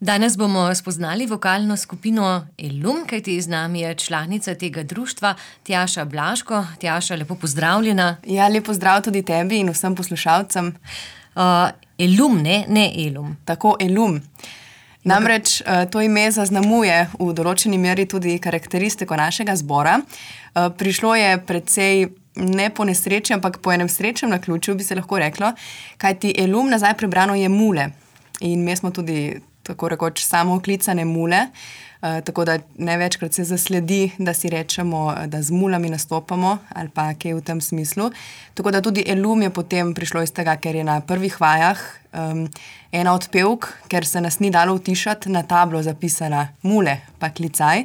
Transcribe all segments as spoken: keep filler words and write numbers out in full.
Danes bomo spoznali vokalno skupino Elum, kajti z nami je članica tega društva Tjaša Blaško. Tjaša, lepo pozdravljena. Ja, lep pozdrav tudi tebi in vsem poslušalcem. Uh, Elum, ne, ne Elum. Tako, Elum. Namreč uh, to ime zaznamuje v določeni meri tudi karakteristiko našega zbora. Uh, prišlo je precej ne po nesreči, ampak po enem srečnem naključju, bi se lahko reklo, kajti Elum nazaj prebrano je mule. In mi smo tudi tako rekoč samooklicane mule, uh, tako da največkrat se zasledi, da si rečemo, da z mulami nastopamo ali pa kaj v tem smislu. Tako da tudi Elum je potem prišlo iz tega, ker je na prvih vajah um, ena od pevk, ker se nas ni dalo utišati, na tablo zapisala mule pa klicaj.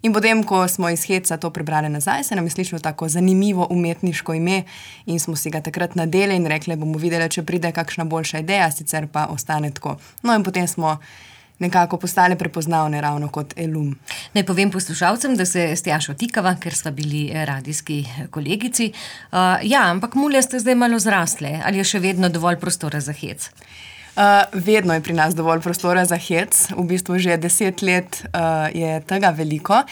In potem, ko smo iz heca to prebrali nazaj, se nam je slišalo tako zanimivo umetniško ime in smo si ga takrat nadeli in rekli, bomo videli, če pride kakšna boljša ideja, sicer pa ostane tako. No in potem smo nekako postali prepoznavne ravno kot Elum. Naj povem poslušalcem, da se s Tjašo tikava, ker sva bili radijski kolegici. Uh, ja, ampak mule ste zdaj malo zrastle. Ali je še vedno dovolj prostora za hec? Uh, vedno je pri nas dovolj prostora za hec, v bistvu že deset let uh, je tega veliko,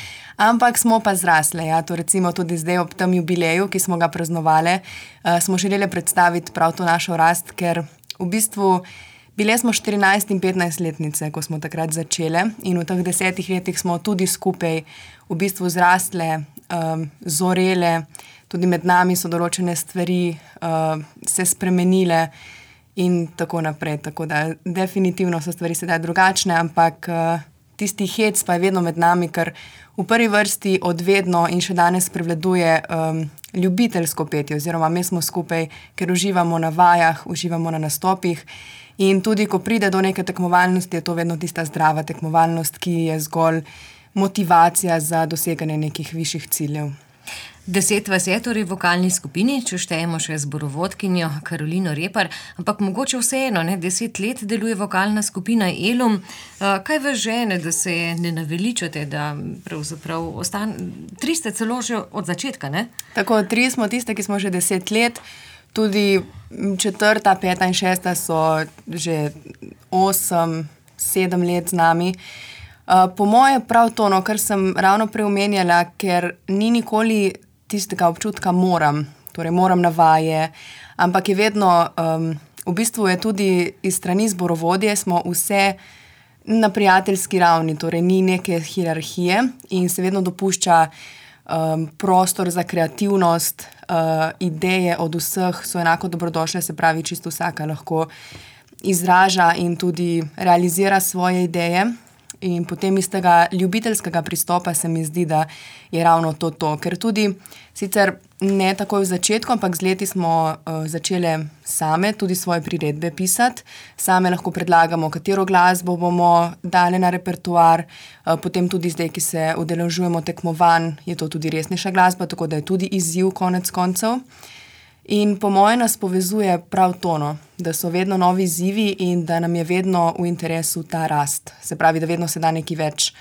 ampak smo pa zrasle. Ja, to recimo tudi zdaj ob tem jubileju, ki smo ga praznovali, uh, smo želeli predstaviti prav to našo rast, ker v bistvu bile smo štirinajst in petnajst letnice, ko smo takrat začele in v teh desetih letih smo tudi skupaj v bistvu zrastle, um, zorele, tudi med nami so določene stvari uh, se spremenile, in tako naprej, tako da definitivno so stvari sedaj drugačne, ampak uh, tisti hec pa je vedno med nami, ker v prvi vrsti odvedno in še danes prevladuje um, ljubiteljsko petje, oziroma mi smo skupaj, ker uživamo na vajah, uživamo na nastopih in tudi, ko pride do neke tekmovalnosti, je to vedno tista zdrava tekmovalnost, ki je zgolj motivacija za doseganje nekih višjih ciljev. Deset vas je torej v vokalni skupini, če štejemo še zborovodkinjo Karolino Repar, ampak mogoče vseeno, ne, deset let deluje vokalna skupina Elum. Kaj vas žene, da se ne naveličate, da pravzaprav ostane, tri ste celo že od začetka, ne? Tako, tri smo tiste, ki smo že deset let, tudi četrta, peta in šesta so že osem, sedem let z nami. Uh, po moje prav to, no, kar sem ravno preomenjala, ker ni nikoli tistega občutka moram, torej moram na vaje, ampak je vedno, um, v bistvu je tudi iz strani zborovodje, smo vse na prijateljski ravni, torej ni neke hierarhije in se vedno dopušča um, prostor za kreativnost, uh, ideje od vseh so enako dobrodošle, se pravi, čisto vsaka lahko izraža in tudi realizira svoje ideje. In potem iz tega ljubiteljskega pristopa se mi zdi, da je ravno to to. Ker tudi, sicer ne takoj v začetku, ampak z leti smo uh, začele same tudi svoje priredbe pisati. Same lahko predlagamo, katero glasbo bomo dali na repertoar. Uh, potem tudi zdaj, ki se udeležujemo tekmovanj, je to tudi resnejša glasba, tako da je tudi izziv konec koncev. In po moje nas povezuje prav tono, da so vedno novi izzivi in da nam je vedno v interesu ta rast. Se pravi, da vedno se da nekaj več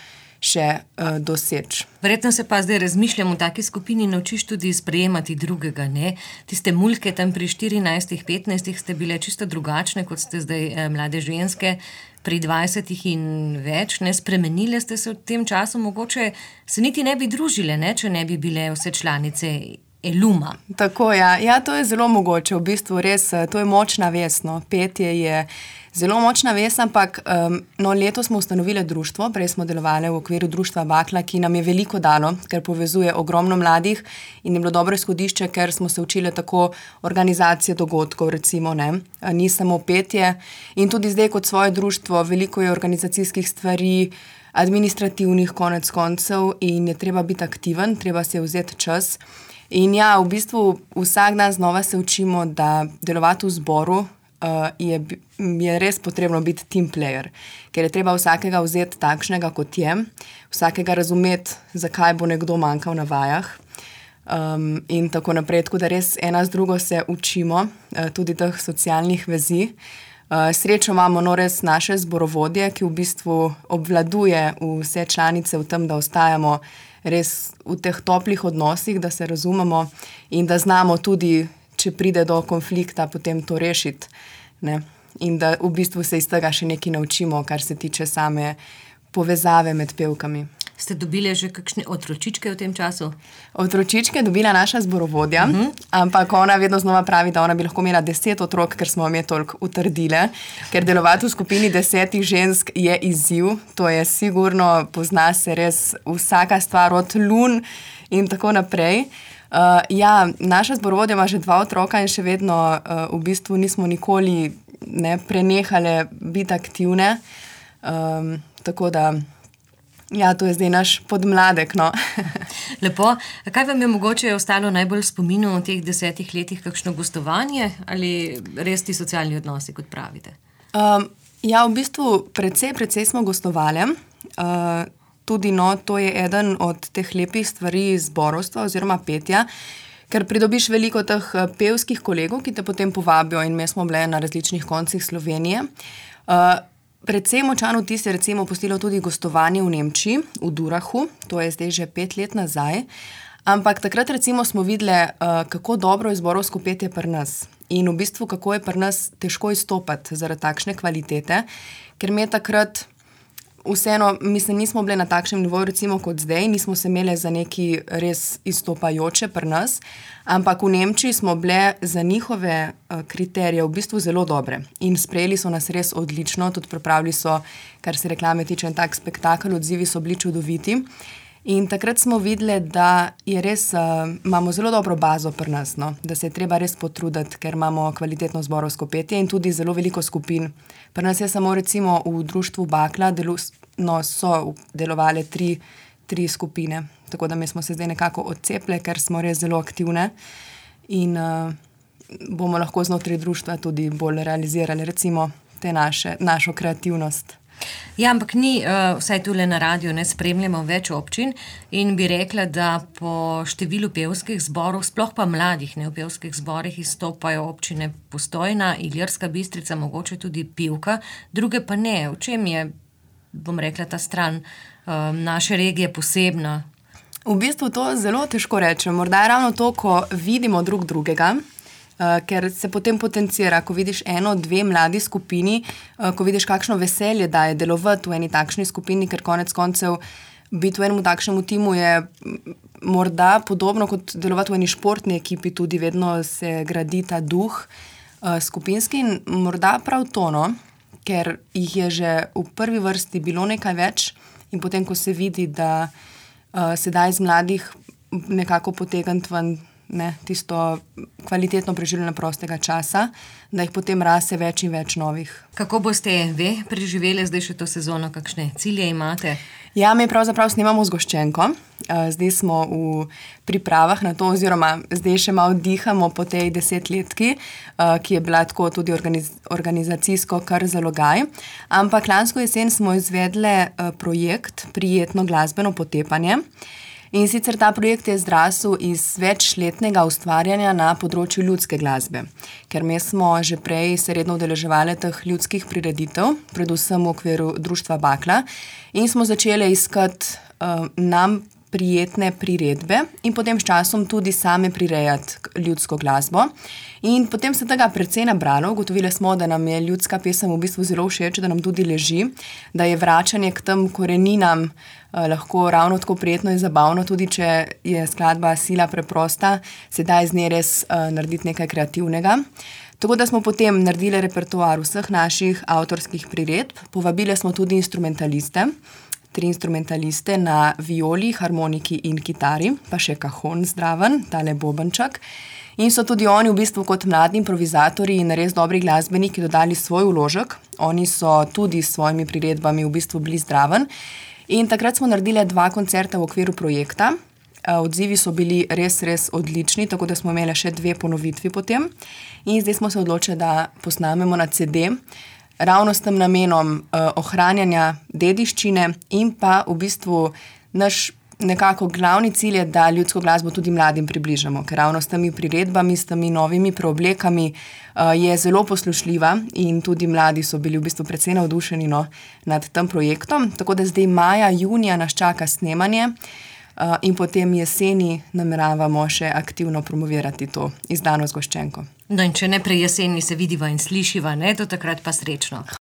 še uh, doseči. Verjetno se pa zdaj razmišljam, v taki skupini naučiš tudi sprejemati drugega, ne? Tiste mulke tam pri štirinajstih, petnajstih ste bile čisto drugačne, kot ste zdaj eh, mlade ženske, pri dvajsetih in več, ne? Spremenile ste se v tem času, mogoče se niti ne bi družile, ne? Če ne bi bile vse članice Eluma. Tako, ja. Ja, to je zelo mogoče, v bistvu res, to je močna vez, no. Petje je zelo močna vez, ampak um, no, letos smo ustanovili društvo, prej smo delovali v okviru društva Bakla, ki nam je veliko dalo, ker povezuje ogromno mladih in je bilo dobro izhodišče, ker smo se učili tako organizacije dogodkov, recimo, ne, ni samo petje in tudi zdaj kot svoje društvo veliko je organizacijskih stvari, administrativnih konec koncev in je treba biti aktiven, treba se vzeti čas. In ja, v bistvu vsak dan znova se učimo, da delovati v zboru uh, je, je res potrebno biti team player, ker je treba vsakega vzeti takšnega, kot je, vsakega razumeti, zakaj bo nekdo manjkal na vajah um, in tako naprej. Tako da res ena z drugo se učimo, uh, tudi teh socialnih vezi. Uh, srečo imamo no res naše zborovodje, ki v bistvu obvladuje vse članice v tem, da ostajamo res v teh toplih odnosih, da se razumemo in da znamo tudi, če pride do konflikta, potem to rešiti. Ne? in da v bistvu se iz tega še nekaj naučimo, kar se tiče same povezave med pevkami. Ste dobili že kakšne otročičke v tem času? Otročičke je dobila naša zborovodja, uh-huh. ampak ona vedno znova pravi, da ona bi lahko imela deset otrok, ker smo vam je toliko utrdile, ker delovati v skupini desetih žensk je izziv, to je sigurno, pozna se res vsaka stvar od lun in tako naprej. Uh, ja, naša zborovodja ima že dva otroka in še vedno uh, v bistvu nismo nikoli ne, prenehale biti aktivne, um, tako da ja, to je zdaj naš podmladek, no. Lepo. Kaj vam je mogoče ostalo najbolj v spominu v teh desetih letih, kakšno gostovanje ali res ti socialni odnosi, kot pravite? Um, ja, v bistvu precej, precej smo gostovali. Uh, tudi, no, to je eden od teh lepih stvari zborovstva oziroma petja, ker pridobiš veliko teh pevskih kolegov, ki te potem povabijo in mi smo bile na različnih koncih Slovenije. Uh, Predvsem močan vtis je recimo pustilo tudi gostovanje v Nemčiji, v Durahu, to je zdaj že pet let nazaj, ampak takrat recimo smo videli, uh, kako dobro je zborovsko petje pri nas in v bistvu kako je pri nas težko izstopati zaradi takšne kvalitete, ker mi je takrat vseeno, mislim, nismo bile na takšnem nivoju recimo kot zdaj, nismo se imeli za neki res izstopajoče pri nas, ampak v Nemčiji smo bile za njihove uh, kriterije v bistvu zelo dobre in sprejeli so nas res odlično, tudi pripravili so, kar se reklame tiče, en tak spektakel, odzivi so bili čudoviti in takrat smo videli, da je res, uh, imamo zelo dobro bazo pri nas, no? Da se je treba res potruditi, ker imamo kvalitetno zborovsko petje in tudi zelo veliko skupin. Pri nas je samo recimo v društvu Bakla delu, no, so delovale tri, tri skupine, tako da mi smo se zdaj nekako odcepile, ker smo res zelo aktivne in uh, bomo lahko znotraj društva tudi bolj realizirali recimo te naše, našo kreativnost. Ja, ampak ni, uh, vsaj tule na radiju ne spremljamo več občin in bi rekla, da po številu pevskih zborov, sploh pa mladih ne v pevskih zborih, izstopajo občine Postojna, Ilirska Bistrica, mogoče tudi Pivka, druge pa ne. V čem je, bom rekla, ta stran um, naše regije posebna? V bistvu to zelo težko rečem. Morda je ravno to, ko vidimo drug drugega, Uh, ker se potem potencira, ko vidiš eno, dve mladi skupini, uh, ko vidiš, kakšno veselje daje delovati v eni takšni skupini, ker konec koncev biti v enem takšnemu timu je morda podobno kot delovati v eni športni ekipi, tudi vedno se gradi ta duh uh, skupinski in morda prav to, no, ker jih je že v prvi vrsti bilo nekaj več in potem, ko se vidi, da uh, se da iz mladih nekako potegniti ven, ne, tisto kvalitetno preživljanje prostega časa, da jih potem rase več in več novih. Kako boste vi preživeli zdaj še to sezono? Kakšne cilje imate? Ja, mi pravzaprav snemamo zgoščenko. Zdaj smo v pripravah na to, oziroma zdaj še malo dihamo po tej desetletki, ki je bila tako tudi organiz- organizacijsko kar zalogaj. Ampak lansko jesen smo izvedle projekt Prijetno glasbeno potepanje. In sicer ta projekt je zrasel iz večletnega ustvarjanja na področju ljudske glasbe, ker mi smo že prej se redno udeleževali teh ljudskih prireditev, predvsem v okviru društva Bakla, in smo začeli iskati uh, nam prijetne priredbe in potem s časom tudi same prirejati ljudsko glasbo. In potem se tega precej nabralo, ugotovili smo, da nam je ljudska pesem v bistvu zelo všeč, da nam tudi leži, da je vračanje k tem koreninam eh, lahko ravno tako prijetno in zabavno, tudi če je skladba sila preprosta, se da iz nje res eh, narediti nekaj kreativnega. Tako da smo potem naredili repertoar vseh naših avtorskih priredb, povabili smo tudi instrumentaliste, tri instrumentaliste na violi, harmoniki in kitari, pa še kahon zdraven, tale bobenčak. In so tudi oni v bistvu kot mladi improvizatorji in res dobri glasbeniki dodali svoj vložek. Oni so tudi s svojimi priredbami v bistvu bili zdraven. In takrat smo naredili dva koncerta v okviru projekta. Odzivi so bili res, res odlični, tako da smo imeli še dve ponovitvi potem. In zdaj smo se odločili, da posnamemo na ce de, ravno s tem namenom uh, ohranjanja dediščine in pa v bistvu naš nekako glavni cilj je, da ljudsko glasbo tudi mladim približamo, ker ravno s temi priredbami, s temi novimi preoblekami uh, je zelo poslušljiva in tudi mladi so bili v bistvu precej navdušeni no, nad tem projektom. Tako da zdaj maja, junija nas čaka snemanje. Uh, in potem jeseni nameravamo še aktivno promovirati to izdano zgoščenko. No in če ne prej jeseni se vidiva in slišiva, ne, do takrat pa srečno.